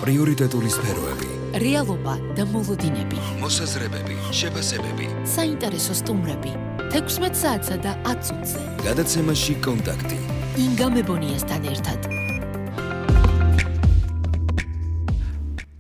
პრიორიტეტული სფეროები, რეალობა და მოლოდინები, მოსაზრებები, შეფასებები, საინტერესო სტუმრები, 16 საათსა და 10 წუთზე. გადაცემაში კონტაქტი. ინგა მებონიასთან ერთად.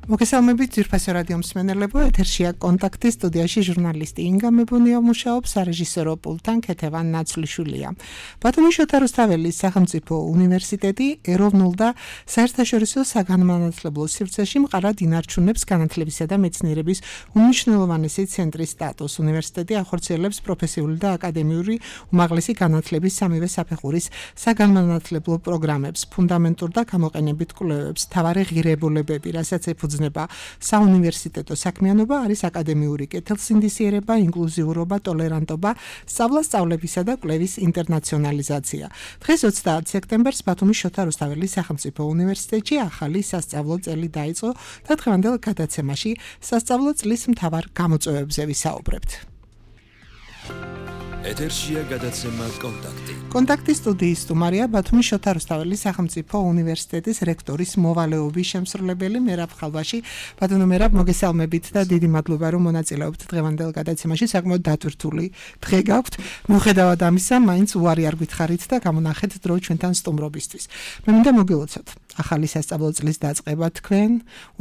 მოგესალმებით ძვირფასო რადიო მსმენელებო, ეთერშია კონტაქტი, სტუდიაში ჟურნალისტი ინგა მებონია მუშაობს, სარეჟისორო პულტთან ქეთევან ნაცვლიშვილია. ბათუმის შოთა რუსთაველის სახელმწიფო უნივერსიტეტი ეროვნულ და საერთაშორისო საგანმანათლებლო სივრცეში მყარად ინარჩუნებს განათლებისა და მეცნიერების უმნიშვნელოვანესი ცენტრის სტატუსს. უნივერსიტეტი ახორციელებს პროფესიული და აკადემიური უმაღლესი განათლების სამივე საფეხურის საგანმანათლებლო პროგრამებს, ფუნდამენტურ და გამოყენებით კვლევებს, მთავარი ღირებულებები, რასაც ეფუძნება საუნივერსიტეტო საქმიანობა არის აკადემიური კეთილსინდისიერება, ინკლუზიურობა, ტოლერანტობა, სწავლა-სწავლებისა და კვლევის ინტერნაციონალიზაცია. დღეს 30 სექტემბერს ბათუმის შოთა რუსთაველის სახელმწიფო უნივერსიტეტში ახალი სასწავლო წელი დაიწყო და დღევანდელ გადაცემაში სასწავლო წლის მთავარ გამოწვევებზე ვისაუბრებთ. ეთერშია გადაცემა კონტაქტი. კონტაქტის სტუდიის სტუმარია ბათუმის შოთა რუსთაველის სახელმწიფო უნივერსიტეტის რექტორის მოვალეობის შემსრულებელი მერაბ ხალვაში. ბატონო მერაბ, მოგესალმებით და დიდი მადლობა რომ მონაწილეობთ დღევანდელ გადაცემაში. საკმაოდ დატვირთული დღე გაქვთ. მიუხედავად ამისა, მაინც უარი არ გითხარით და გამონახეთ დრო ჩვენთან სტუმრობისთვის. მე მინდა მოგილოცოთ ახალი სასწავლო წლის დაწყება თქვენ,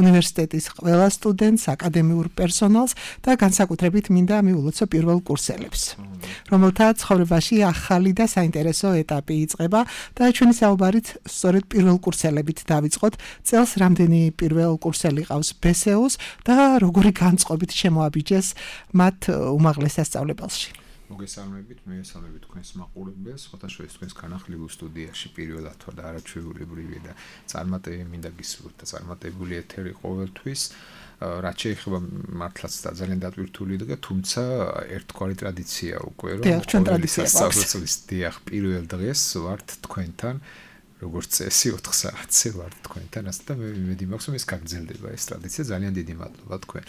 უნივერსიტეტის ყველა სტუდენტს, აკადემიურ პერსონალს და განსაკუთრებით მინდა მიულოცო პირველ კურსელებს, რომელთა ცხოვრებაში ახალი და საინტერესო ეტაპი იწყება და ჩვენი საუბარით სწორედ პირველ კურსელებით დავიწყოთ. წელს რამდენი პირველ კურსელი ყავს ბესეოს და როგორი განწყობით შემოაბიჯეს მათ უმაღლეს სასწავლებელში. მოგესალმებით, მივესალმებით თქვენს მაყურებელს, ხოთაშორის თქვენს განახლილ სტუდიაში პირველად ვარ და არაჩვეულებრივი და წარმატებული მინდა გისურვოთ და წარმატებული ეთერი ყოველთვის. რაც შეეხება მართლაც და ძალიან დატვირთული დღე, თუმცა ერთგვარი ტრადიცია უკვე რომ ჩვენ ტრადიცია გვაქვს. დიახ, პირველ დღეს ვართ თქვენთან, როგორც წესი 4 საათზე ვართ თქვენთან, ასე და მე იმედი მაქვს რომ ეს გაგრძელდება ეს ტრადიცია. ძალიან დიდი მადლობა თქვენ.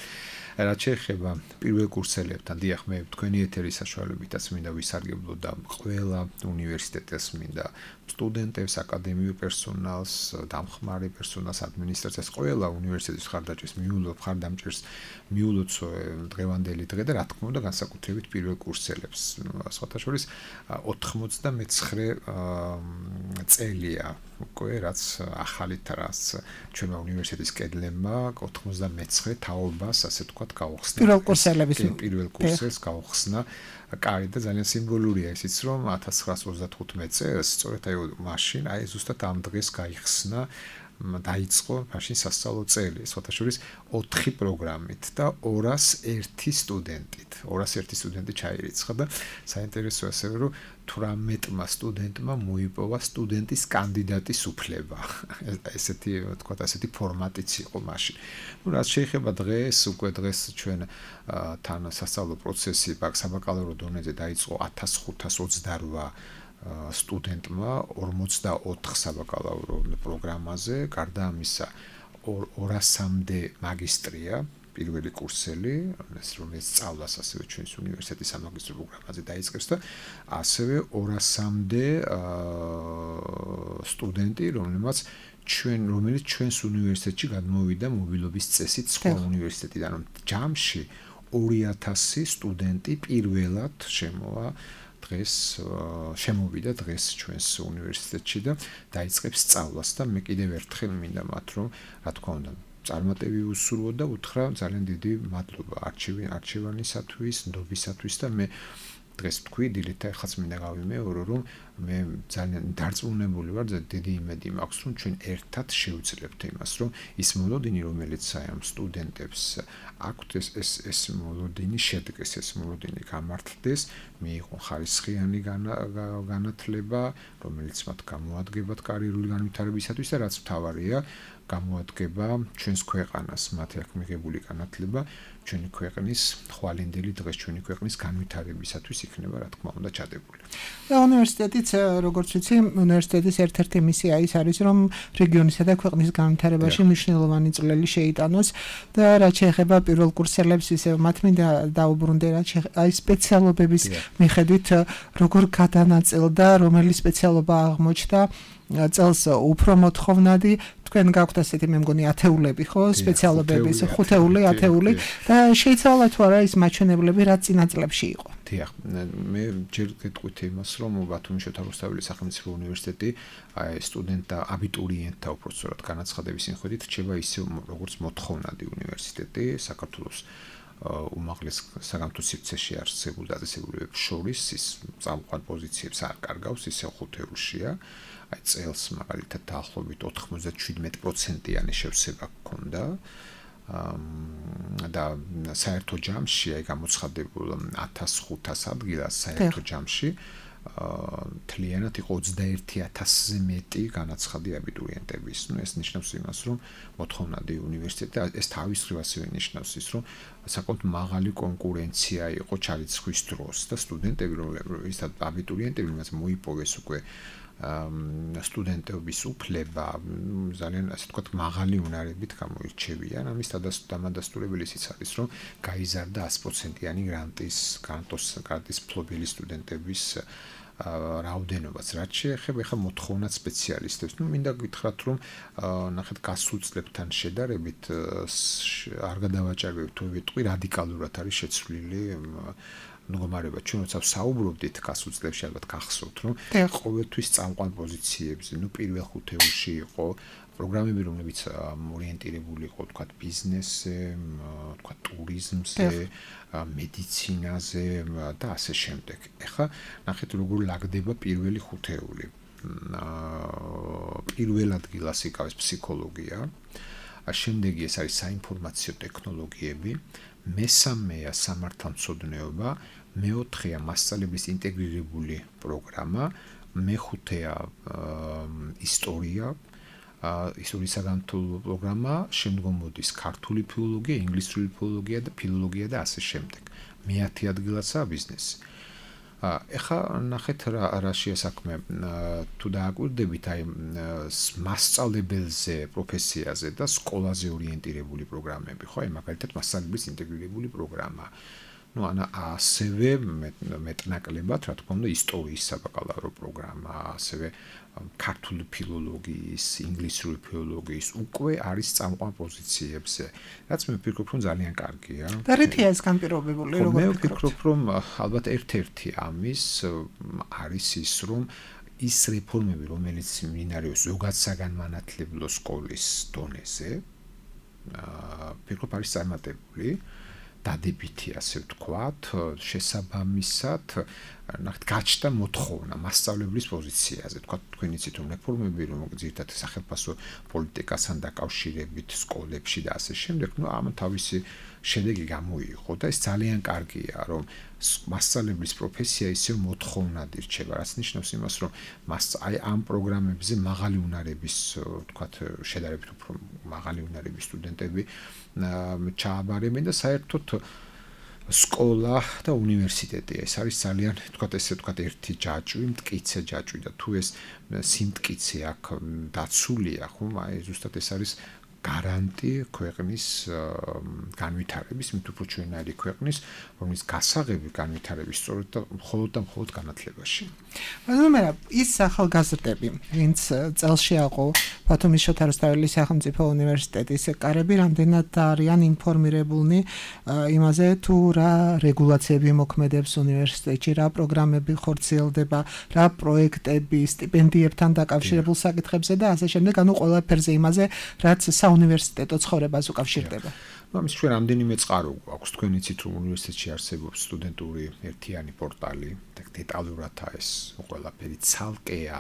რაც შეეხება პირველ კურსელებთან, დიახ, მე თქვენი ეთერის საშუალებითაც მინდა ვისარგებლო და ყველა უნივერსიტეტის მინდა სტუდენტებს, აკადემიურ პერსონალს, დამხმარე პერსონალს, ადმინისტრაციას, ყველა უნივერსიტეტის მხარდაჭერს მხარდამჭერს მიულოცო დღევანდელი დღე და რა თქმა უნდა განსაკუთრებით პირველ კურსელებს. სხვათა შორის 99 წელია უკვე რაც ახალით რაც ჩვენმა უნივერსიტეტის კედლებმა 99 თაობას ასე თქვა გაუხსნა. პირველ კურსელს გაუხსნა. კარი და ძალიან სიმბოლურია ისიც რომ 1935 წელს სწორედ მაშინ ზუსტად ამ დღეს გაიხსნა დაიწყო მაშინ სასწავლო წელი, სხვათა შორის 4 პროგრამით და 201 სტუდენტით. 201 სტუდენტი ჩაირიცხა და საინტერესოა ასევე რომ 18 სტუდენტმა მოიპოვა სტუდენტის კანდიდატის უფლება. ესეთი თქვა ასეთი ფორმატიც იყო მაშინ. რაც შეეხება დღეს, უკვე დღეს ჩვენ თან სასწავლო პროცესი საბაკალავრო დონეზე დაიწყო 1528 სტუდენტმა 44 საბაკალავრო პროგრამაზე, გარდა ამისა 200-მდე მაგისტრია, პირველი კურსელი, რომელიც სწავლას ასევე ჩვენს უნივერსიტეტის სამაგისტრო პროგრამაზე დაიწყებს და ასევე 200-მდე სტუდენტი, რომელიც ჩვენს უნივერსიტეტში გადმოვიდა მობილობის წესით სხვა უნივერსიტეტიდან, რომ ჯამში 2000 სტუდენტი პირველად შემოვიდა დღეს ჩვენს უნივერსიტეტში და დაიწყებს სწავლას და მე კიდევ ერთხელ მინდა მათ რომ რა თქმა უნდა წარმატები უსურვო და უთხრა ძალიან დიდი მადლობა არჩევანისათვის, ნდობისათვის და მე დღეს თქვი დილით ახაც მინდა გავიმეორო რომ მე ძალიან დარწმუნებული ვარ და დიდი იმედი მაქვს რომ ჩვენ ერთად შევძლებთ იმას რომ ის მოლოდინი რომელიც ამ სტუდენტებს აქვთ ეს მოლოდინი შედგეს, ეს მოლოდინი გამართლდეს, მიიღონ ხარისხიანი განათლება, რომელიც მათ გამოადგებათ კარიერული განვითარებისათვის და რაც მთავარია გამოადგება ჩვენს ქვეყანას, მათი აქ მიღებული განათლება ჩვენი ქვეყნის ხვალინდელი დღეს ჩვენი ქვეყნის განვითარებისათვის იქნება რა თქმა უნდა ჩადებული. და უნივერსიტეტიც როგორც ვიცი, უნივერსიტეტის ერთ-ერთი მისია ის არის რომ რეგიონისა და ქვეყნის განვითარებაში მნიშვნელოვანი წვლილი შეიტანოს და რაც შეეხება პირველ კურსელებს ისე მათ მინდა დაუბრუნდე აი სპეციალობების მიხედვით როგორ გადანაწილდა, რომელი სპეციალობა აღმოჩნდა წელს უფრო მოთხოვნადი თქვენ გაქვთ ასეთი მე მგონი ათეულები ხო სპეციალობების 5-ათეული და შეიძლება თუ არა ის მაჩვენებლები რა წინა წლებში იყო. დიახ, მე ჯერ გეტყვით იმას, რომ ბათუმის შოთა რუსთაველის სახელმწიფო უნივერსიტეტი სტუდენტთა აბიტურიენტთა უბრალოდ განაცხადების მიხედვით რჩება ისე როგორც მოთხოვნადი უნივერსიტეტი საქართველოს უმაღლეს საგამოთო სივრცეში არსებულ დაწესებულებებს შორის ის წამყვან პოზიციებს არ კარგავს, ისე 5-ეულშია. აი წელს მაგალითად დაახლოებით 97%-იანი შევსება ჰქონდა და საერთო ჯამში აი გამოცხადებულ 1500 ადგილას საერთო ჯამში თლიანად იყო 21000-ზე მეტი განაცხადი აბიტურიენტების. ნუ ეს ნიშნავს იმას, რომ მოთხოვნადი უნივერსიტეტი ეს თავის მხრივ ასევე ნიშნავს ის, რომ საკმაოდ მაღალი კონკურენცია იყო ჩარიცხვის დროს და სტუდენტები რომლებიც აბიტურიენტები რომელსაც მოიპოვეს უკვე სტუდენტების უფლება ძალიან ასე ვთქვათ მაღალი უნარებით გამოირჩევიან. ამის დამადასტურებელიც არის, რომ გაიზარდა 100%-იანი გრანტის მფლობელი სტუდენტების რაოდენობაც. რაც შეეხება ახლა მოთხოვნად სპეციალისტებს, ნუ მინდა გითხრათ, რომ ნახეთ გასულ წლებთან შედარებით არ გადავაჭარბებთ თუ ვიტყვი რადიკალურად არის შეცვლილი მდგომარეობა. ჩვენ როცა საუბრობდით გასულ წლებში ალბათ გახსოვთ, რომ ყოველთვის წამყვან პოზიციებზე, ნუ პირველ 5-ეულში იყო პროგრამები, რომლებიც ორიენტირებული იყო, თქვათ, ბიზნესზე, თქვათ, ტურიზმზე, მედიცინაზე და ასე შემდეგ. ეხლა ნახეთ როგორ ლაგდება პირველი 5-ეული. პირველ ადგილას იკავეს ფსიქოლოგია, შემდეგი ეს არის საინფორმაციო ტექნოლოგიები, მესამეა სამართალმცოდნეობა, მეოთხეა მასწავლებლის ინტეგრირებული პროგრამა, მეხუთეა ისტორია, ისტორიის საგანმანათლებლო პროგრამა, შემდგომ მოდის ქართული ფილოლოგია, ინგლისური ფილოლოგია და ფილოლოგია და ასე შემდეგ. მეათე ადგილაცაა ბიზნესი. ეხლა ნახეთ რა შეასაქმე თუ დააკვირდებით აი მასწავლებელზე, პროფესიაზე და სკოლაზე ორიენტირებული პროგრამები, ხო? აი მაგალითად მასწავლებლის ინტეგრირებული პროგრამა. ну она ასევე მეტნაკლებად რა თქმა უნდა ისტორიის საბაკალავრო პროგრამა, ასევე ქართული ფილოლოგიის, ინგლისური ფილოლოგიის უკვე არის წამყვან პოზიციებზე. რაც მე ვფიქრობ, რომ ძალიან კარგია. და რითია ეს განპირობებული, როგორ მე ვფიქრობ, რომ ალბათ ერთ-ერთი ამის არის ის, რომ ის რეფორმები, რომელიც მინარევს ზოგად საგანმანათლებლო სკოლის დონეზე, ვფიქრობ არის წარმატებული. დადებითი ასე ვთქვათ, შესაბამისად, ნახეთ, გაჩნდა მოთხოვნა მასწავლებლის პოზიციაზე. თქვათ, თქვენ იცით, რომ რეფორმები, რომ ძირითადად სახელმწიფო პოლიტიკასთან დაკავშირებით სკოლებში და ასე შემდეგ, ну, ამ თავისი შედეგი გამოიღო და ეს ძალიან კარგია, რომ მასწავლებლის პროფესია ისე მოთხოვნად ირჩება, რაც ნიშნავს იმას, რომ აი ამ პროგრამებზე მაღალი უნარების, თქვათ, შედარებით უფრო მაღალი უნარების სტუდენტები ჩააბარებენ და საერთოდ სკოლა და უნივერსიტეტი ეს არის ძალიან, თქვათ, ესე ვთქვათ, ერთი ჯაჭვი, მტკიცე ჯაჭვი და თუ ეს სიმტკიცე აქ დაცულია, ხომ, აი ზუსტად ეს არის გარანტი ქვეყნის განვითარების, მით უფრო ჩვენაირი ქვეყნის, რომლის გასაღები განვითარების სწორედ და მხოლოდ განათლებაში. მაგრამ ის ახალგაზრდები, ვინც წელში აყო ბათუმის შოთა რუსთაველის სახელმწიფო უნივერსიტეტის კარები, რამდენად არიან ინფორმირებულნი იმაზე, თუ რა რეგულაციები მოქმედებს უნივერსიტეტში, რა პროგრამები ხორციელდება, რა პროექტები, სტიპენდიებთან დაკავშირებულ საკითხებზე და ასე შემდეგ, ანუ ყველაფერზე იმაზე, რაც უნივერსიტეტო ცხოვრებას უკავშირდება. ну ამის ჩვენ რამდენიმე წყარო გვაქვს. თქვენ იცით, რომ უნივერსიტეტში არსებობს სტუდენტური ერთიანი პორტალი და დეტალურად ეს ყველაფერი ცალკეა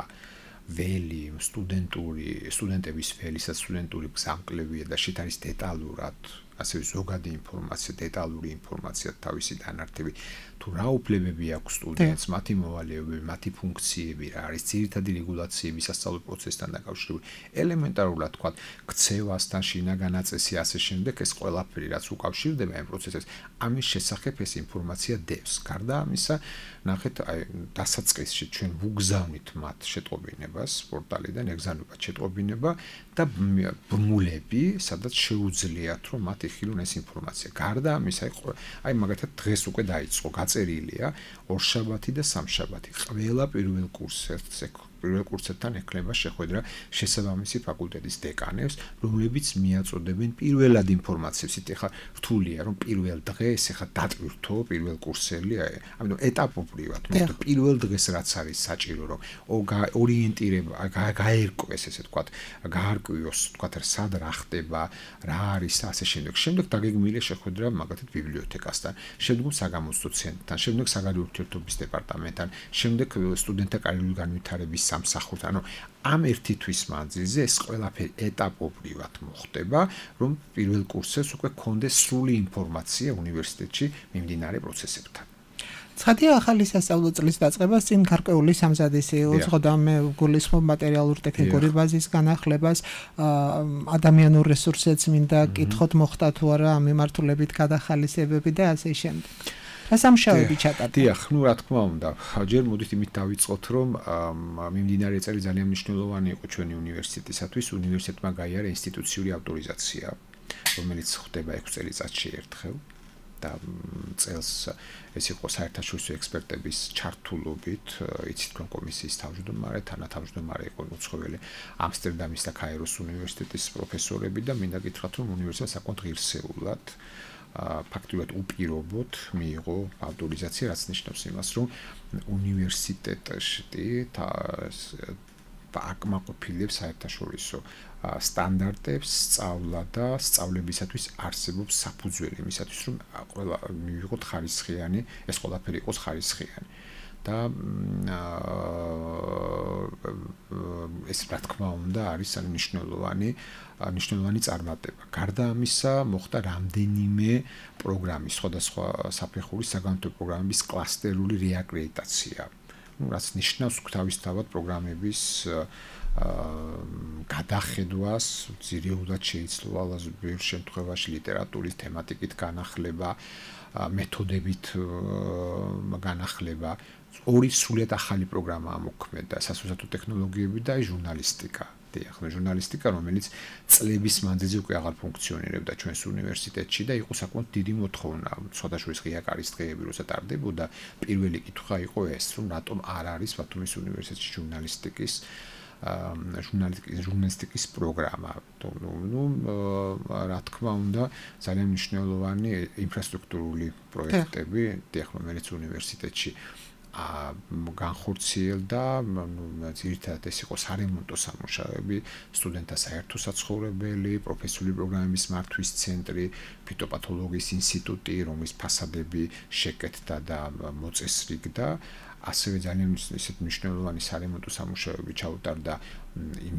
ველი, სტუდენტების ველი, სტუდენტური გზამკლებია და შეთ არის დეტალურად ასევე ზოგადი ინფორმაცია, დეტალური ინფორმაცია, თავისი დანართები, თუ რა უფლებები აქვს სტუდენტს, მათი მოვალეობები, მათი ფუნქციები, რა არის ძირითადი რეგულაციები სასწავლო პროცესთან დაკავშირებული. ელემენტარულად თქვა, ქცევასთან, შინაგანაწესი, ასე შემდეგ, ეს ყველაფერი, რაც უკავშირდება ამ პროცესებს, ამის შესახებ ეს ინფორმაცია დევს. გარდა ამისა, ნახეთ, აი დასაწყისში ჩვენ ვუგზავნით მათ შეტყობინებას პორტალიდან, ეგზავნებად შეტყობინება და ბმულები, სადაც შეუძლიათ, რომ მათ იხილონ ეს ინფორმაცია. გარდა ამისა, აი მაგალითად დღეს უკვე დაიწყო, გაწერილია ორშაბათი და სამშაბათი. ყველა პირველ კურსზე პირველ კურსებთან ექნება შეხვედრა შესაბამისი ფაკულტეტის დეკანებს, რომლებიც მიაწოდებენ პირველად ინფორმაციებს. ეხლა რთულია რომ პირველ დღეს ეხლა დატვირთო პირველ კურსელი, ამიტომ ეტაპობრივად, მაგრამ პირველ დღეს რაც არის საჭირო რომ ორიენტირება გაერკვეს ესე ვთქვათ, გაარკვიოს ვთქვათ სად რა ხდება, რა არის და ასე შემდეგ. შემდეგ დაგეგმილია შეხვედრა მაგათად ბიბლიოთეკასთან, შემდეგ საგამოცდო ცენტრთან, შემდეგ საგარეო ურთიერთობების დეპარტამენტთან, შემდეგ სტუდენტთა კარიერული განვითარების სამსახურთან. ანუ ამ ერთი თვის მანძილზე ეს ყველაფერი ეტაპობრივად მოხდება, რომ პირველ კურსებს უკვე გქონდეს სრული ინფორმაცია უნივერსიტეტში მიმდინარე პროცესებთან. ცხადია ახალი სასწავლო წლის დაწყებას წინ გარკვეული სამზადისი უძღოდა მე გულისხმობ მატერიალურ ტექნიკური ბაზის განახლებას, ადამიანურ რესურსებს მინდა კითხოთ მოხდა თუ არა ამ მიმართულებით გადახალისებები და ასე შემდეგ. რა სამუშაოები ჩატარდა? დიახ, რა თქმა უნდა, ჯერ მოდით იმით დავიწყოთ, რომ მიმდინარე წელი ძალიან მნიშვნელოვანი იყო ჩვენი უნივერსიტეტისათვის. უნივერსიტეტმა გაიარა ინსტიტუციური ავტორიზაცია, რომელიც ხდება 6 წელიწადში ერთხელ. და წელს ეს იყო საერთაშორისო ექსპერტების ჩართულობით, იცით რომ კომისიის თავმჯდომარე, თანათავმჯდომარე იყო უცხოელი ამსტერდამის და კაიროს უნივერსიტეტის პროფესორები და მინდა გითხრათ რომ უნივერსიტეტმა საკმაოდ ღირსეულად ფაქტურად უპირობოდ მიიღო ავტორიზაცია, რაც ნიშნავს იმას, რომ უნივერსიტეტში აკმაყოფილებს საერთაშორისო სტანდარტებს, სწავლა და სწავლებისათვის არსებობს საფუძველი იმისათვის, რომ ყველა მივიღოთ ხარისხიანი, ეს ყველაფერი იყოს ხარისხიანი. და ეს რა თქმა უნდა არის მნიშვნელოვანი წარმატება. გარდა ამისა, მოხდა რამდენიმე პროგრამის, სხვადასხვა საფეხურის საგანმანათლებლო პროგრამების კლასტერული რეაკრედიტაცია. რაც ნიშნავს თავისთავად პროგრამების გადახედვას, ძირეულად შეიცვალა ბევრ შემთხვევაში ლიტერატურის თემატიკით განახლება, მეთოდებით განახლება. ორი სრულიად ახალი პროგრამა მოქმედა, სასამართლო ტექნოლოგიები და ჟურნალისტიკა. ახლა ჟურნალისტიკა, რომელიც წლების მანძილზე უკვე აღარ ფუნქციონირებდა ჩვენს უნივერსიტეტში და იყო საკმაოდ დიდი მოთხოვნა. სხვადასხვა ღია კარის დღეები როცა ტარდებოდა, პირველი კითხვა იყო ეს, რომ რატომ არ არის ბათუმის უნივერსიტეტში ჟურნალისტიკის პროგრამა. რა თქმა უნდა, ძალიან მნიშვნელოვანი ინფრასტრუქტურული პროექტები, რომელიც უნივერსიტეტში განხორციელდა, ძირითადად ეს იყო სარემონტო სამუშაოები, სტუდენტთა საერთო საცხოვრებელი, პროფესიული პროგრამების მართვის ცენტრი, ფიტოპათოლოგიის ინსტიტუტი, რომლის ფასადები შეკეთდა და მოწესრიგდა. ასევე ძალიან ისეთ მნიშვნელოვანი სარემონტო სამუშაოები ჩაუტარდა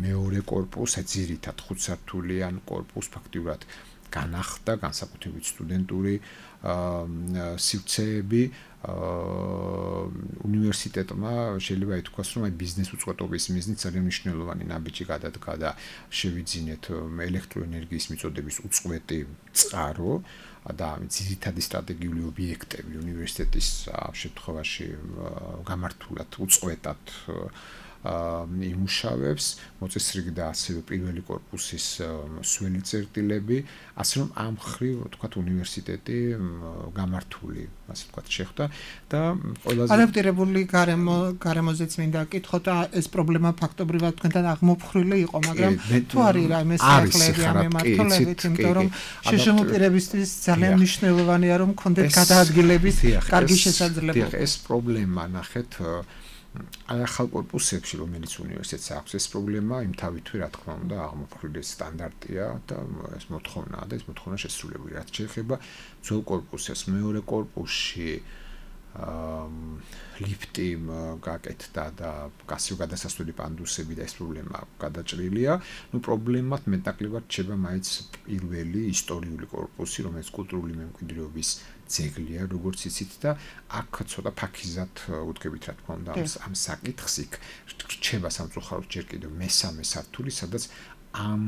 მეორე კორპუსს, ძირითადად 5 სართულიან კორპუსს ფაქტიურად განახდა, განსაკუთრებით სტუდენტური სივრცეები. უნივერსიტეტმა შეიძლება ითქვას, რომ ბიზნეს უწყობების მიზნით ძალიან მნიშვნელოვანი ნაბიჯი გადადგა და შევიძინეთ ელექტროენერგიის მიწოდების უწყვეტი წყარო და ძირითადი სტრატეგიული ობიექტები უნივერსიტეტის შემთხვევაში გამართულად უწყვეტად იმუშავებს, მოწესრიგდა ასევე პირველი კორპუსის სველი წერტილები, ასე რომ ამ მხრივ თქვათ უნივერსიტეტი გამართული, ასე ვთქვათ, შეხვდა და ყველაზე ადაპტირებული გარემოზეც მინდა კითხოთ და ეს პრობლემა ფაქტობრივად თქვენთან აღმოფხრილი იყო, მაგრამ თუ არის რაიმე სიახლეები ამ მიმართულებით, იმიტომ რომ შეშემოპირებისთვის ძალიან მნიშვნელოვანია რომ გქონდეთ გადაადგილების კარგი შესაძლებლობა. ეს პრობლემა ნახეთ ახალ კორპუსებში, რომელიც უნივერსიტეტს აქვს, ეს პრობლემა იმ თავითვე, რა თქმა უნდა, აღმოფხრილი სტანდარტია და ეს მოთხოვნაა და ეს მოთხოვნა შესრულებული. რაც შეეხება ძველ კორპუსებს, მეორე კორპუსში ლიფტი გაკეთდა და გასიო გადასასვლელი პანდუსები და ეს პრობლემა გადაჭრილია. პრობლემად მეტნაკლებად რჩება მაინც პირველი ისტორიული კორპუსი, რომელიც კულტურული მემკვიდრეობის ძეგლია, როგორც იცით და აქ ცოტა ფაქიზად უდგებით, რა თქმა უნდა, ამ საკითხს იქ რჩება სამწუხაროდ ჯერ კიდევ მესამე სართული, სადაც ამ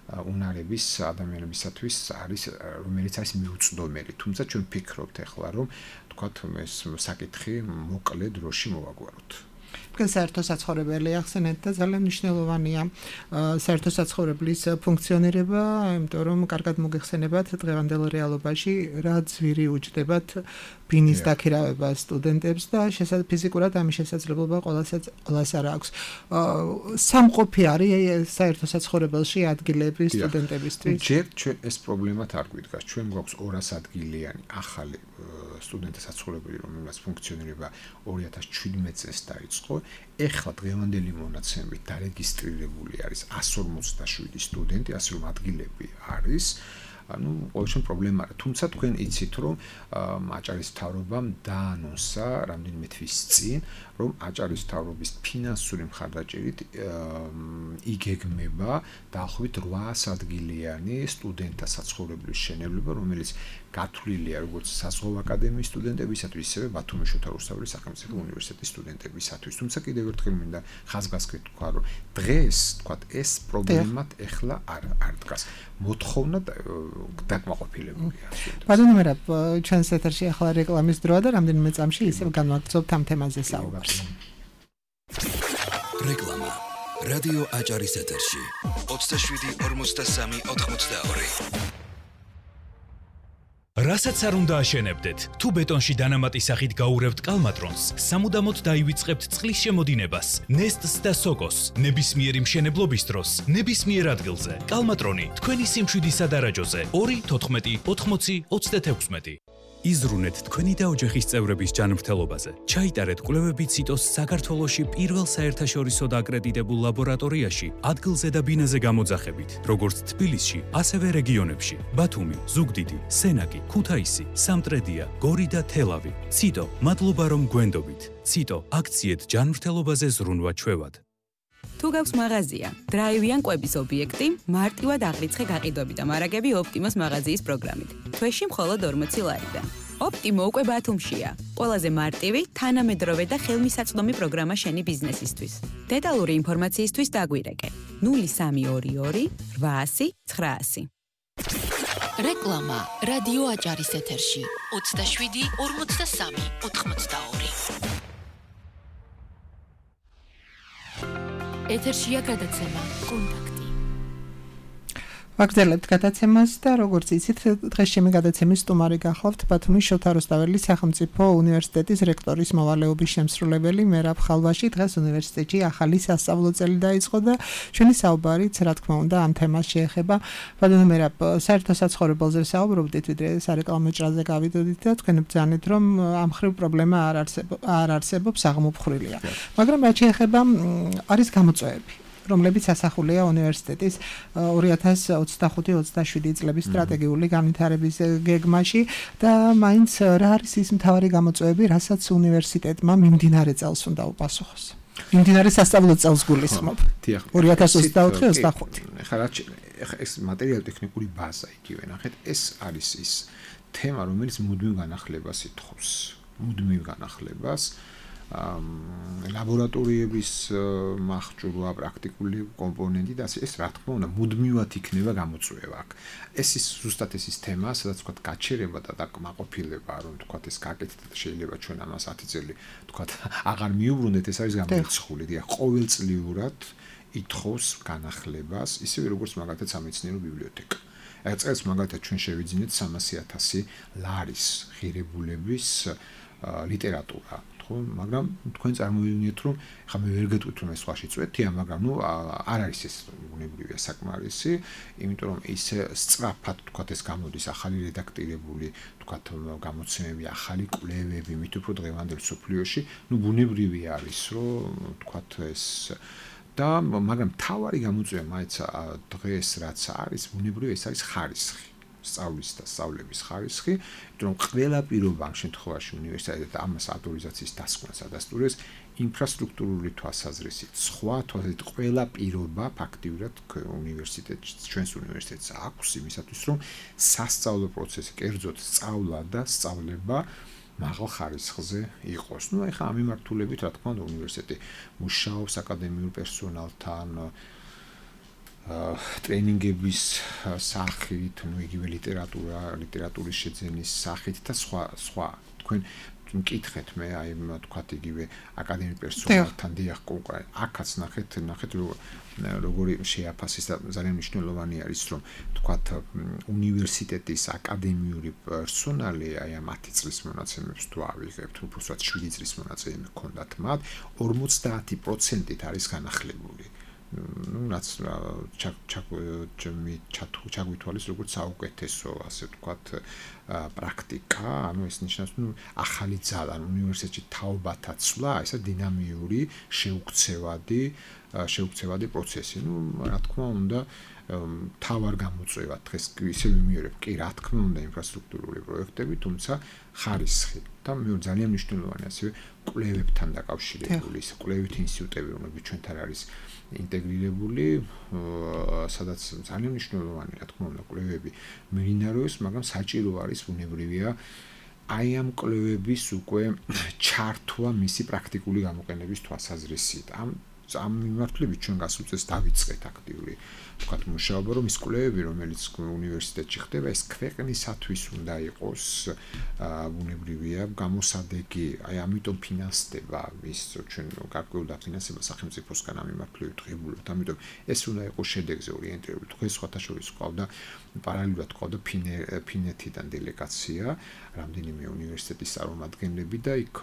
უნარების ადამიანებისათვის არის, რომელიც არის მიუწვდომელი. თუმცა ჩვენ ვფიქრობთ ახლა, რომ თქვათ ეს საკითხი მოკლე დროში მოვაგვაროთ. თქვენ საერთო საცხოვრებელი ახსენეთ და ძალიან მნიშვნელოვანია საერთო საცხოვრებლის ფუნქციონირება, იმიტომ რომ კარგად მოგეხსენებათ დღევანდელ რეალობაში რა ძვირი უჯდებათ ბინის დაქირავება სტუდენტებს და ფიზიკურად ამის შესაძლებლობა ყველას არ აქვს. სამყოფი არის საერთო საცხოვრებელში ადგილები სტუდენტებისთვის. ჯერ ეს პრობლემათ არ გვიდგას. ჩვენ გვაქვს 200 ადგილიანი ახალი სტუდენტთა საცხოვრებელი, რომელსაც ფუნქციონირება 2017 წელს დაიწყო. ეხლა დღევანდელი მონაცემებით დარეგისტრირებული არის 157 სტუდენტი, ასე რომ ადგილები არის. ანუ ყოველ შემთხვევაში პრობლემა არა. თუმცა თქვენ იცით, რომ აჭარის მთავრობამ დაანონსა რამდენიმე თვის წინ, რომ აჭარის მთავრობის ფინანსური მხარდაჭერით იგეგმება დაახლოებით 800 ადგილიანი სტუდენტთა საცხოვრებელის შენობება, რომელიც გათვლილია როგორც საზღვაო აკადემიის სტუდენტებისათვის, ისევე ბათუმის შოთა რუსთაველის სახელმწიფო უნივერსიტეტის სტუდენტებისათვის. თუმცა კიდევ ერთხელ მინდა ხაზგასმით თქვა, რომ დღეს თქვა ეს პრობლემად ეხლა არ დგას. მოთხოვნა დაკმაყოფილებულია. ბატონო მერაბ, ჩვენს ეთერში ახლა რეკლამის დროა და რამდენიმე წამში ისევ განვაგრძობთ ამ თემაზე საუბარს. რეკლამა. რადიო აჭარის ეთერში 27-43-82. რასაც არ უნდა აშენებდეთ, თუ ბეტონში დანამატი სახით გაურევთ კალმატრონს, სამუდამოდ დაივიწყებთ წყლის შემოდინებას, ნესტს და სოკოს, ნებისმიერი მშენებლობის დროს, ნებისმიერ ადგილზე. კალმატრონი თქვენი სიმშვიდის სადარაჯოზე 2-14-80-36. იზრუნეთ თქვენი და ოჯახის წევრების ჯანმრთელობაზე. ჩაიტარეთ კვლევები ციტოს საქართველოში პირველ საერთაშორისო აკრედიტებულ ლაბორატორიაში, ადგილზე და ბინაზე გამოძახებით, როგორც თბილისში, ასევე რეგიონებში: ბათუმი, ზუგდიდი, სენაკი, ქუთაისი, სამტრედია, გორი და თელავი. ციტო, მადლობა რომ გვენდობით. ციტო, აქციეთ ჯანმრთელობაზე ზრუნვა ჩვევად. თუ გაქვს მაღაზია, დრაივიან კვების ობიექტი, მარტივად აღრიცხე გაყიდვები და მარაგები ოპტიმოს მაღაზიის პროგრამით. თვეში მხოლოდ 40 ლარიდან. ოპტიმო უკვე ბათუმშია. ყველაზე მარტივი, თანამედროვე და ხელმისაწვდომი პროგრამა შენი ბიზნესისთვის. დეტალური ინფორმაციისთვის დაგვირეკე 0322 800 900. რეკლამა რადიო აჭარის ეთერში 27-43-82. ეთერშია გადაცემა კონტაქტი. ვაგრძელებთ გადაცემას და როგორც იცით, დღეს ჩემი გადაცემის სტუმარი გახლავთ ბათუმის შოთა რუსთაველის სახელმწიფო უნივერსიტეტის რექტორის მოვალეობის შემსრულებელი მერაბ ხალვაში. დღეს უნივერსიტეტში ახალი სასწავლო წელი დაიწყო და ჩვენი საუბარიც, რა თქმა უნდა, ამ თემას შეეხება. ბატონო მერაბ, საერთო საცხოვრებელზე საუბრობდით, ვიდრე სარეკლამო ჭრაზე გავიდოდით და თქვენ ბრძანეთ, რომ ამ ხრივ პრობლემა არ არსებობს, აღმოფხრილია. მაგრამ რაც შეეხება არის გამოწვევები, რომლებიც ასახულია უნივერსიტეტის 2025-27 წლების სტრატეგიული განვითარების გეგმაში და მაინც რა არის ის მთავარი გამოწვევები, რასაც უნივერსიტეტმა მიმდინარე წელს უნდა უპასუხოს. მიმდინარე სასწავლო წელს გულისხმობ. 2024-25. ხა ეს მატერიალურ-ტექნიკური ბაზა იგივე ნახეთ, ეს არის ის თემა, რომელიც მუდმივ განახლებას ითხოვს. მუდმივ განახლებას ლაბორატორიების მახჭურვა, პრაქტიკული კომპონენტი და ეს რა თქმა უნდა მუდმივად იქნება გამოწვევა. ეს ის ზუსტად ის თემა, სადაც თქვა გაჩერება და დაკმაყოფილება, რომ თქვა ეს გაკეთდა და შეიძლება ჩვენ ამას 10 წელი თქვა აღარ მიუბრუნდეთ, ეს არის გამორიცხული. დიახ, ყოველწლიურად ითხოვს განახლებას, ისევე როგორც მაგალითად სამეცნიერო ბიბლიოთეკა. ეს წელს მაგალითად ჩვენ შევიძინეთ 300,000 ლარის ღირებულების ლიტერატურა. მაგრამ თქვენ წარმოვიდგინეთ, რომ ხა მე ვერ გეტყვით, რომ ეს სხვაში წვეთია, მაგრამ არ არის ეს უნებრივია საკმარისი, იმიტომ რომ ის სწრაფად თქვა ეს გამოდის ახალი რედაქტირებული თქვა გამოცემები, ახალი კვლევები, მით უფრო დღევანდელ სოფლიოში, ბუნებრივი არის, რომ თქვა ეს და მაგრამ თავარი გამოწვევა მაინც დღეს რაც არის, ბუნებრივი ეს არის ხარისხი. სწავლის და სწავლების ხარისხი, იმიტომ რომ ყველა პირობა ამ შემთხვევაში უნივერსიტეტი ამას ავტორიზაციის დასკვნას ადასტურებს ინფრასტრუქტურული თვალსაზრისით. სხვა თვალსაზრისით ყველა პირობა ფაქტიურად უნივერსიტეტში, ჩვენს უნივერსიტეტს აქვს იმისათვის, რომ სასწავლო პროცესი, კერძოდ სწავლა და სწავლება მაღალ ხარისხზე იყოს. ეხლა ამ მიმართულებით, რა თქმა უნდა, უნივერსიტეტი მუშაობს აკადემიურ პერსონალთან, ტრენინგების სახით, იგივე ლიტერატურის შეძენის სახით და სხვა. თქვენ მკითხეთ მე აი თქვათ იგივე აკადემიკ პერსონალთან დიახ კონკრეტ აქაც ნახეთ როგორი შეაფასეს და ძალიან მნიშვნელოვანი არის რომ თქვათ უნივერსიტეტის აკადემიური პერსონალი აი ამ 10 წლის მონაცემებს თუ ავიღებთ უბრალოდ 7 წლის მონაცემები ჰქონდათ მათ 50%-ით არის განახლებული რაც ჩაგვითვალეს როგორც საუკეთესო ასე ვთქვათ პრაქტიკა, ანუ ეს ნიშნავს, ახალი ძალა უნივერსიტეტში თაობათა ცვლა, ესა დინამიური, შეუქცევადი პროცესი. რა თქმა უნდა, თავარ გამოწვევა დღეს ისე ვიმეორებ, კი, რა თქმა უნდა, ინფრასტრუქტურული პროექტები, თუმცა ხარისხი და მეორე ძალიან მნიშვნელოვანი ასევე კვლევებთან დაკავშირებული, ის კვლევითი ინსტიტუტები, რომლებიც ჩვენთან არის ინტეგრირებული, სადაც ძალიან მნიშვნელოვანი, რა თქმა უნდა, კვლევები მიმდინარეობს, მაგრამ საჭირო არის ბუნებრივია აი ამ კვლევების უკვე ჩართვა მისი პრაქტიკული გამოყენების თვალსაზრისით. ამ მიმართულებით ჩვენ გასულ წელს დავიწყეთ აქტიური თქვათ მუშაობა, რომ ის კვლევები, რომელიც უნივერსიტეტში ხდება, ეს ქვეყნისათვის უნდა იყოს ბუნებრივია გამოსადეგი, აი ამიტომ ფინანსდება ის ჩვენ გარკვეულ დაფინანსება სახელმწიფოსგან ამ მიმართულებით ღებულობთ, ამიტომ ეს უნდა იყოს შედეგზე ორიენტირებული. დღეს სხვათა შორის ყავდა პარალელურად ყავდა ფინეთიდან დელეგაცია, რამდენიმე უნივერსიტეტის წარმომადგენლები და იქ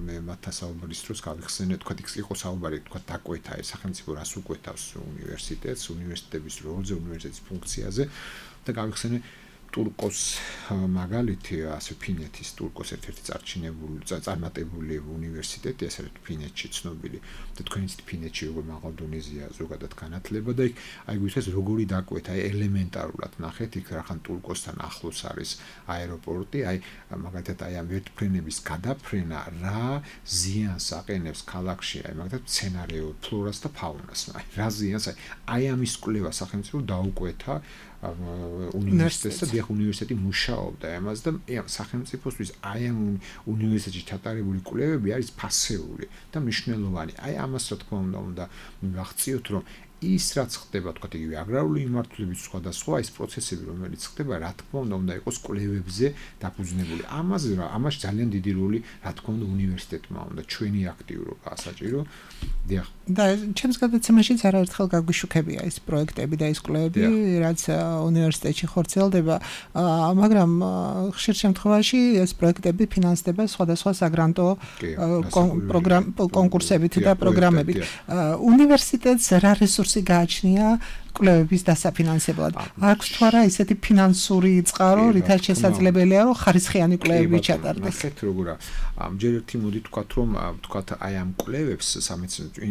მე მათთან საუბრის დროს გავიხსენე, თქვათ იქ იყო საუბარი, თქვათ დაკვეთა ეს სახელმწიფო რას უკვეთავს უნივერსიტეტს, უნივერსიტეტების როლზე, უნივერსიტეტის ფუნქციაზე და გავიხსენე ტურკოს მაგალითი, ასე ფინეთის ტურკოს ერთ-ერთი წარმატებული უნივერსიტეტი, ასე ფინეთში ცნობილი და თქვენიც ფინეთში როგორ მაღალ დონეზეა ზოგადად განათლება და იქ აი გითხრეს როგორი დაკვეთა, აი ელემენტარულად ნახეთ იქ რახან ტურკოსთან ახლოს არის აეროპორტი, აი მაგალითად აი ამ ვერტმფრენების გადაფრენა რა ზიანს აყენებს ქალაქში, აი მაგალითად სცენარეულ ფლორას და ფაუნას, აი რა ზიანს აი ამის კვლევა სახელმწიფო დაუკვეთა უნივერსიტეტს და დიახ უნივერსიტეტი მუშაობდა ამას და სახელმწიფოსთვის აი ამ უნივერსიტეტში ჩატარებული კვლევები არის ფასეული და მნიშვნელოვანი. აი ამას რა თქმა უნდა ვახციოთ რომ ის რაც ხდება თქვა იგივე აგრარული მიმართულებით სხვადასხვა ის პროცესები რომელიც ხდება რა თქმა უნდა იყოს კვლევებზე დაფუძნებული. ამას ძალიან დიდი როლი რა თქმა უნდა უნივერსიტეტმა უნდა ჩვენი აქტიურობა საჭირო. დიახ. და ჩემს გადაცემაშიც არაერთხელ გაგვიშუქებია ეს პროექტები და ეს კვლევები რაც უნივერსიტეტში ხორციელდება, მაგრამ ხშირ შემთხვევაში ეს პროექტები ფინანსდება სხვადასხვა საგრანტო კონკურსებით და პროგრამებით. უნივერსიტეტს რა რესურსი გააჩნია კვლევების დასაფინანსებლად? აქვს თუ არა ისეთი ფინანსური წყარო, რითაც შესაძლებელია რომ ხარისხიანი კვლევები ჩატარდეს? ნახეთ როგორა ჯერ ერთი მოდი თქვათ რომ თქვათ აი ამ კვლევებს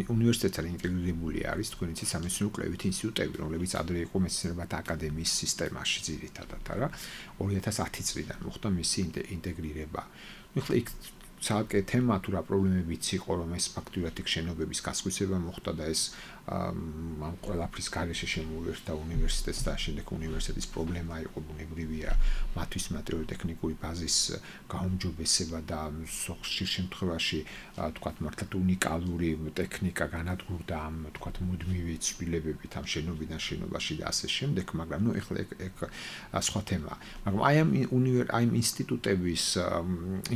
უნივერსიტეტთან ინტეგრირებული არის თქვენი სამეცნიერო კვლევითი ინსტიტუტები, რომლებიც ადრე იყო მეცნიერებათა აკადემიის სისტემაში ძირითადად, არა 2010 წლიდან მოხდა მისი ინტეგრირება. ახლა იქ ცალკე თემა თუ რა პრობლემებიც იყო, რომ ეს ფაქტურად იქ შენობების გასხვისება მოხდა და ეს ამ ყველაფრის გარეშე შემოვერთა უნივერსიტეტს და შემდეგ უნივერსიტეტის პრობლემა იყო ბუნებრივია მათთვის მატერიალურ-ტექნიკური ბაზის გაუმჯობესება და ხშირ შემთხვევაში თქვათ მართლაც უნიკალური ტექნიკა განადგურდა ამ თქვათ მუდმივი ცვლილებებით ამ შენობიდან შენობაში და ასე შემდეგ, მაგრამ ეხლა ეგ სხვა თემაა. მაგრამ აი ამ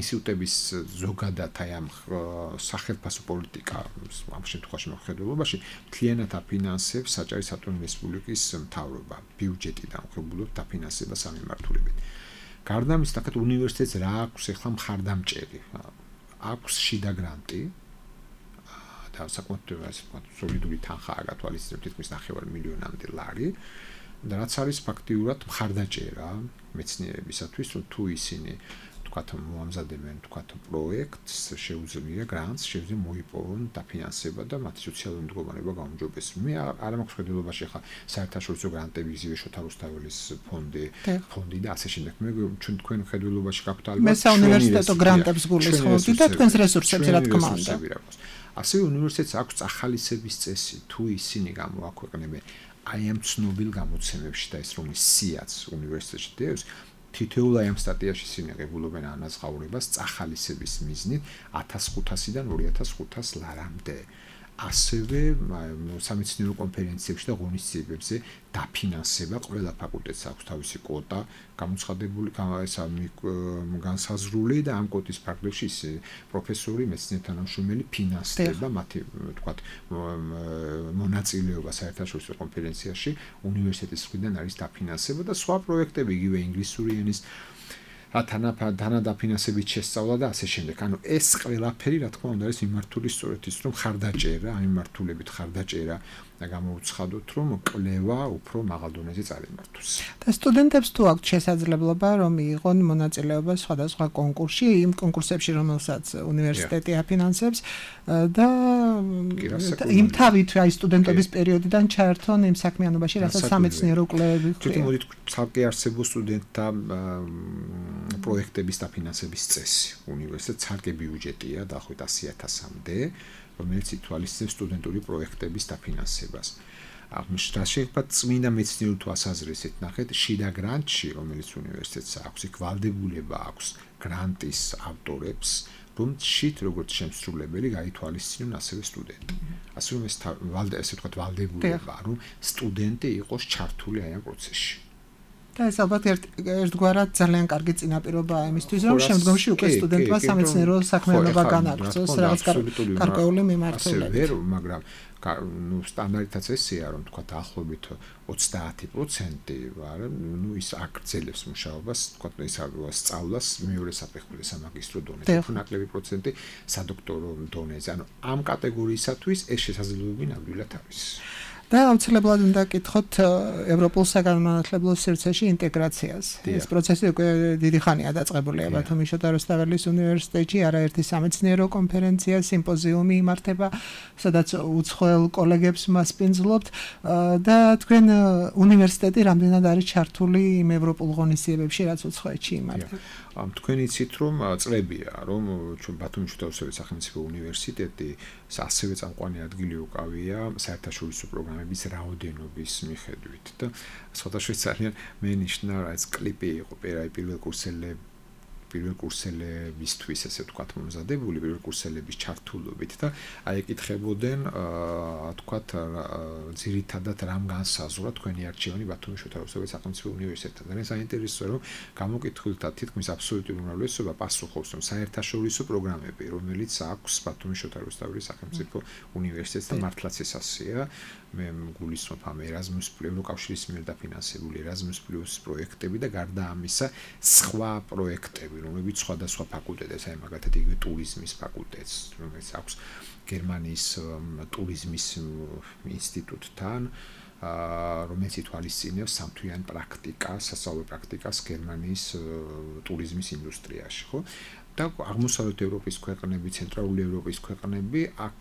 ინსტიტუტების ზოგადად აი ამ სახელმწიფო პოლიტიკა ამ შემთხვევაში მოხდულობაში მთლიანად აფინანსებს საჭირო სატურნ რესპუბლიკის მთავრობა, ბიუჯეტიდან ხებულობთ დაფინანსებას ამ მიმართულებით. გარდა ამისა, თქვათ უნივერსიტეტს რა აქვს ახლა მხარდამჭერი? აქვს შიდა გრანტი და საკუთრივ ასე ვთქვათ, სოლიდური თანხაა გათვალისწინებთ თითქმის 9 მილიონამდე ლარი და რაც არის ფაქტიურად მხარდაჭერა მეცნიერებისათვის, რომ თუ ისინი თქვათ მოამზადებენ თქვათ პროექტს, შეუძლია გრანტს, შეუძლია მოიპოვონ დაფინანსება და მათი სოციალური მდგომარეობა გაუმჯობესდეს. მე არ მაქვს ხედულობაში ხა საერთაშორისო გრანტები იგივე შოთა რუსთაველის ფონდი და ასე შემდეგ. მე თქვენ ხედულობაში გაქვთ ალბათ მე საუნივერსიტეტო გრანტებს გულისხმობდი და თქვენს რესურსებს რა თქმა უნდა. ასევე უნივერსიტეტს აქვს ახალისების წესი, თუ ისინი გამოაქვეყნებენ აი ამ ცნობილ გამოცემებში და ეს რომლის სიაც უნივერსიტეტში დევს თითოეულ აი ამ სტატიაში სინეგებულობენ ანაზღაურებას წახალისების მიზნით 1500-დან 2500 ლარამდე. ასევე სამეცნიერო კონფერენციებში და ღონისძიებებზე დაფინანსება ყველა ფაკულტეტს აქვს თავისი კვოტა გამოცხადებული განსაზღვრული და ამ კვოტის ფარგლებში პროფესორი მეცნიერ თანამშრომელი ფინანსდება მათი თქვათ მონაწილეობა საერთაშორისო კონფერენციაში უნივერსიტეტის მხრიდან არის დაფინანსება და სხვა პროექტები იგივე ინგლისური ენის თანადაფინანსებით შესწავლა და ასე შემდეგ. ანუ ეს ყველაფერი რა თქმა უნდა არის მიმართული სწორედ ის რომ ხარდაჭერა, ამ მიმართულებით ხარდაჭერა და გამოუცხადოთ რომ კვლევა უფრო მაღალ დონეზე წარიმართოს. და სტუდენტებს თუ აქვთ შესაძლებლობა რომ მიიღონ მონაწილეობა სხვადასხვა კონკურსში, იმ კონკურსებში რომელსაც უნივერსიტეტი აფინანსებს და იმ თავით აი სტუდენტობის პერიოდიდან ჩაერთონ იმ საქმიანობაში, რასაც სამეცნიერო კვლევები ხდება. თვითონ მოდით ცალკე არსებულ სტუდენტთა პროექტების დაფინანსების წესი. უნივერსიტეტს ცალკე ბიუჯეტია დაახლოებით 100.000-მდე, რომელიც ითვალისწინებს სტუდენტური პროექტების დაფინანსებას. რა შეიძლება წმინდა მეცნიერულ თვალსაზრისით ნახეთ, შიდა გრანტში, რომელიც უნივერსიტეტს აქვს, იქ ვალდებულება აქვს გრანტის ავტორებს, რომ შით როგორც შემსრულებელი გაითვალისწინონ ასევე სტუდენტი. ასე რომ ესე ვთქვათ ვალდებულება, რომ სტუდენტი იყოს ჩართული აი ამ პროცესში. და ეს ალბათ ერთგვარად ძალიან კარგი წინაპირობაა იმისთვის, რომ შემდგომში უკვე სტუდენტმა სამეცნიერო საქმიანობა განაგრძოს, რაღაც გარკვეული მიმართულებით. მაგრამ სტანდარტიც ესეა, რომ თქვა დაახლოებით 30% ის აგრძელებს მუშაობას, თქვა ის სწავლას მეორე საფეხურზე სამაგისტრო დონეზე, ნაკლები პროცენტი სადოქტორო დონეზე. ანუ ამ კატეგორიისათვის ეს შესაძლებლობები ნამდვილად არის. და აუცილებლად უნდა კითხოთ ევროპულ საგანმანათლებლო სივრცეში ინტეგრაციას. ეს პროცესი უკვე დიდი ხანია დაწყებულია ბათუმის შოთა რუსთაველის უნივერსიტეტში, არაერთი სამეცნიერო კონფერენცია, სიმპოზიუმი იმართება, სადაც უცხოელ კოლეგებს მასპინძლობთ და თქვენ უნივერსიტეტი რამდენად არის ჩართული იმ ევროპულ ღონისძიებებში, რაც უცხოეთში იმართება. თქვენ იცით რომ წლებია რომ ჩვენ ბათუმის შოთა რუსთაველის სახელმწიფო უნივერსიტეტი ასევე წამყვანი ადგილი უკავია საერთაშორისო პროგრამების რაოდენობის მიხედვით და სხვადასხვა ძალიან მენიშნა ეს კლიპი იყო პირველ კურსელებისთვის ესე ვთქვათ მომზადებული პირველ კურსელების ჩართულობით და აი ეკითხებოდნენ ვთქვათ ძირითადად რამ განსაზღვრა თქვენი არჩევანი ბათუმის შოთა რუსთაველის სახელმწიფო უნივერსიტეტთან. ძალიან საინტერესოა რომ გამოკითხულთა თითქმის აბსოლუტური უმრავლესობა პასუხობს რომ საერთაშორისო პროგრამები რომელიც აქვს ბათუმის შოთა რუსთაველის სახელმწიფო უნივერსიტეტთან მართლაც ეს ასეა. მე გულისხმობ ამ ერაზმუს ევროკავშირის მიერ დაფინანსებული ერაზმუს პლუს პროექტები და გარდა ამისა სხვა პროექტები რომლებიც სხვადასხვა ფაკულტეტებს, აი მაგალითად იგივე ტურიზმის ფაკულტეტს, რომელიც აქვს გერმანიის ტურიზმის ინსტიტუტთან, რომელიც ითვალისწინებს სამთვიან პრაქტიკას, სასწავლო პრაქტიკას გერმანიის ტურიზმის ინდუსტრიაში, ხო? და აღმოსავლეთ ევროპის ქვეყნები, ცენტრალური ევროპის ქვეყნები აქ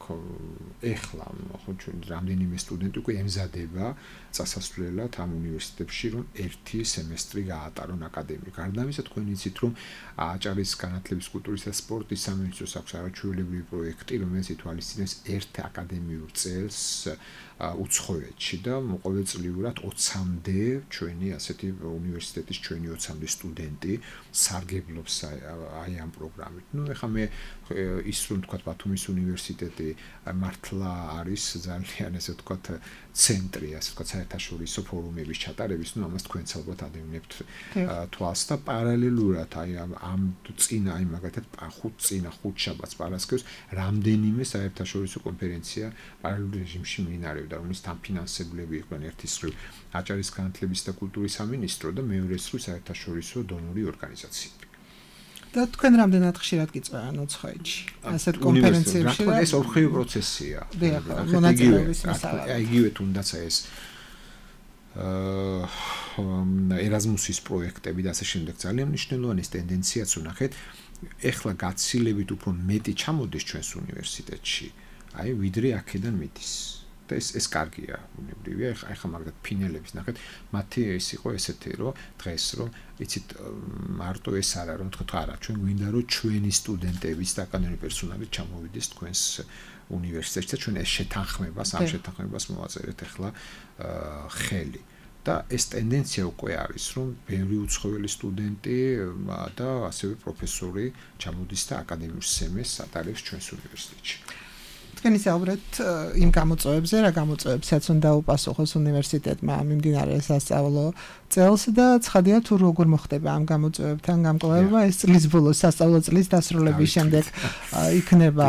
ეხლა ხო ჩვენ რამდენიმე სტუდენტი უკვე ემზადება წასასვლელად ამ უნივერსიტეტებში რომ ერთი სემესტრი გაატარონ აკადემიურ. გარდა ამისა თქვენ იცით რომ აჭარის განათლების კულტურის და სპორტის სამინისტროს აქვს არაჩვეულებრივი პროექტი რომელიც ითვალისწინებს ერთ აკადემიურ წელს უცხოეთში და ყოველწლიურად 20-მდე ჩვენი ასეთი უნივერსიტეტის ჩვენი 20-მდე სტუდენტი სარგებლობს აი ამ პროგრამით. ნუ ეხლა მე ის რომ თქვათ ბათუმის უნივერსიტეტი მართლა არის ძალიან ესე ვთქვათ ცენტრი, ასე ვთქვათ საერთაშორისო ფორუმების ჩატარების, ნუ ამას თქვენც ალბათ ადევნებთ თვალს და პარალელურად აი ამ წინა აი მაგათად ხუთ შაბათს პარასკევს რამდენიმე საერთაშორისო კონფერენცია პარალელურ რეჟიმში მიმდინარეობდა, რომელიც თანფინანსებლები იყვნენ ერთის მხრივ აჭარის განათლების და კულტურის სამინისტრო და მეორეს მხრივ საერთაშორისო დონორი ორგანიზაციები. და თქვენ რამდენად ხშირად გიწევენ უცხოეთში ასეთ კონფერენციებში? ეს ორხრივი პროცესია. მონაწილეობის მასალა. იგივე თუნდაც ეს ერაზმუსის პროექტები და ასე შემდეგ ძალიან მნიშვნელოვანი ტენდენციაც უნახეთ. ეხლა გაცილებით უფრო მეტი ჩამოდის ჩვენს უნივერსიტეტში, აი ვიდრე აქედან მიდის. და ეს კარგია, უნებრივია. ეხლა მაგათ ფინელების ნახეთ, მათი ეს იყო ესეთი, რომ დღეს რომ იცით მარტო ეს არა, რომ თქვა არა, ჩვენ გვინდა რომ ჩვენი სტუდენტების და აკადემიური პერსონალი ჩამოვიდეს თქვენს უნივერსიტეტში და ჩვენ ეს შეთანხმებას, ამ შეთანხმებას მოვაწერეთ ეხლა ხელი. და ეს ტენდენცია უკვე არის, რომ ბევრი უცხოელი სტუდენტი და ასევე პროფესორი ჩამოდის და აკადემიურ სემესტრს ატარებს ჩვენს უნივერსიტეტში. თქვენ ისაუბრეთ იმ გამოწვევებზე, რა გამოწვევებსაც უნდა უპასუხოს უნივერსიტეტმა მიმდინარე სასწავლო წელს და ცხადია თუ როგორ მოხდება ამ გამოწვევებთან გამკლავება ეს წლის ბოლოს სასწავლო წლის დასრულების შემდეგ იქნება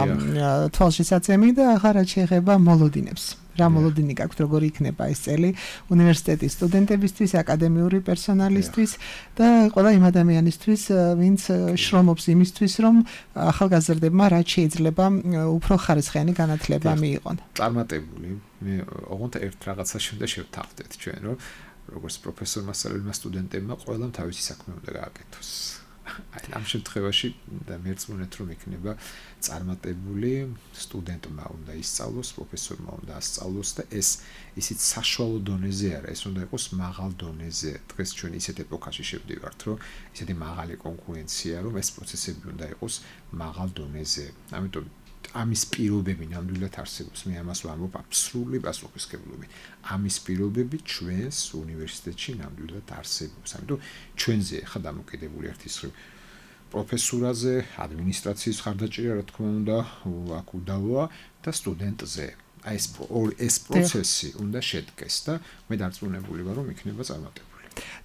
თვალშისაცემი და ახლა რაც შეეხება მოლოდინებს. რა მოლოდინი გაქვთ, როგორი იქნება ეს წელი უნივერსიტეტის სტუდენტებისთვის, აკადემიური პერსონალისთვის და ყველა იმ ადამიანისთვის, ვინც შრომობს იმისთვის, რომ ახალგაზრდებმა რაც შეიძლება უფრო ხარისხიანი განათლება მიიღონ. წარმატებული. მე ოღონდ ერთ რაღაცას უნდა შევთავაზოთ ჩვენ, რომ როგორც პროფესორმა სწავლებელმა სტუდენტებმა ყველამ თავისი საქმე უნდა გააკეთოს. აი ამ შემთხვევაში და მერწმუნეთ რომ იქნება წარმატებული სტუდენტმა უნდა ისწავლოს, პროფესორმა უნდა ასწავლოს და ეს ისიც საშუალო დონეზე არა, ეს უნდა იყოს მაღალ დონეზე. დღეს ჩვენ ისეთ ეპოქაში შევდივართ, რომ ისეთი მაღალი კონკურენცია, რომ ეს პროცესები უნდა იყოს მაღალ დონეზე. ამიტომ ამის პირობები ნამდვილად არსებობს. მე ამას ვამბობ აბსოლუტური პასუხისმგებლობით. ამის პირობები ჩვენს უნივერსიტეტში ნამდვილად არსებობს. ამიტომ ჩვენზე ხა დამოკიდებული ერთის მხრივ პროფესურაზე, ადმინისტრაციის ხარდაჭერა, რა თქმა უნდა, აქ უდავოა და სტუდენტზე. აი ეს პროცესი უნდა შედგეს და მე დარწმუნებული ვარ, რომ იქნება წარმატებული.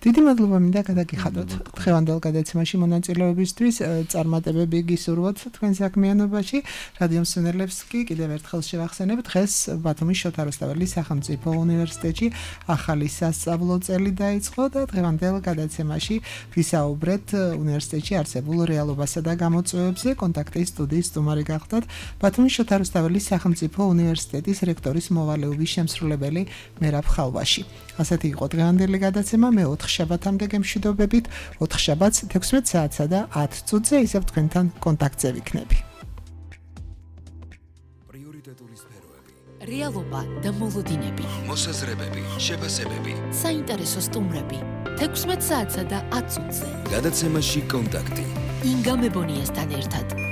დიდი მადლობა მინდა გადაგიხადოთ დღევანდელ გადაცემაში მონაწილეობისთვის, წარმატებები გისურვოთ თქვენ საქმიანობაში. რადიო მსმენელებს კი კიდევ ერთხელ შევახსენებ, დღეს ბათუმის შოთა რუსთაველის სახელმწიფო უნივერსიტეტში ახალი სასწავლო წელი დაიწყო და დღევანდელ გადაცემაში ვისაუბრეთ უნივერსიტეტში არსებულ რეალობასა და გამოწვევებზე. კონტაქტის სტუდიის სტუმარი გახდათ ბათუმის შოთა რუსთაველის სახელმწიფო უნივერსიტეტის რექტორის მოვალეობის შემსრულებელი მერაბ ხალვაში. ასეთი იყო დღევანდელი გადაცემა. მე 4 შაბათამდე გემშვიდობებით, 4 შაბათს 16 საათსა და 10 წუთზე ისევ თქვენთან კონტაქტზე ვიქნები. პრიორიტეტული სფეროები, რეალობა და მოლოდინები, მოსაზრებები, შეფასებები, საინტერესო სტუმრები 16 საათსა და 10 წუთზე. გადაცემაში კონტაქტი. ინგა მებონიასთან ერთად.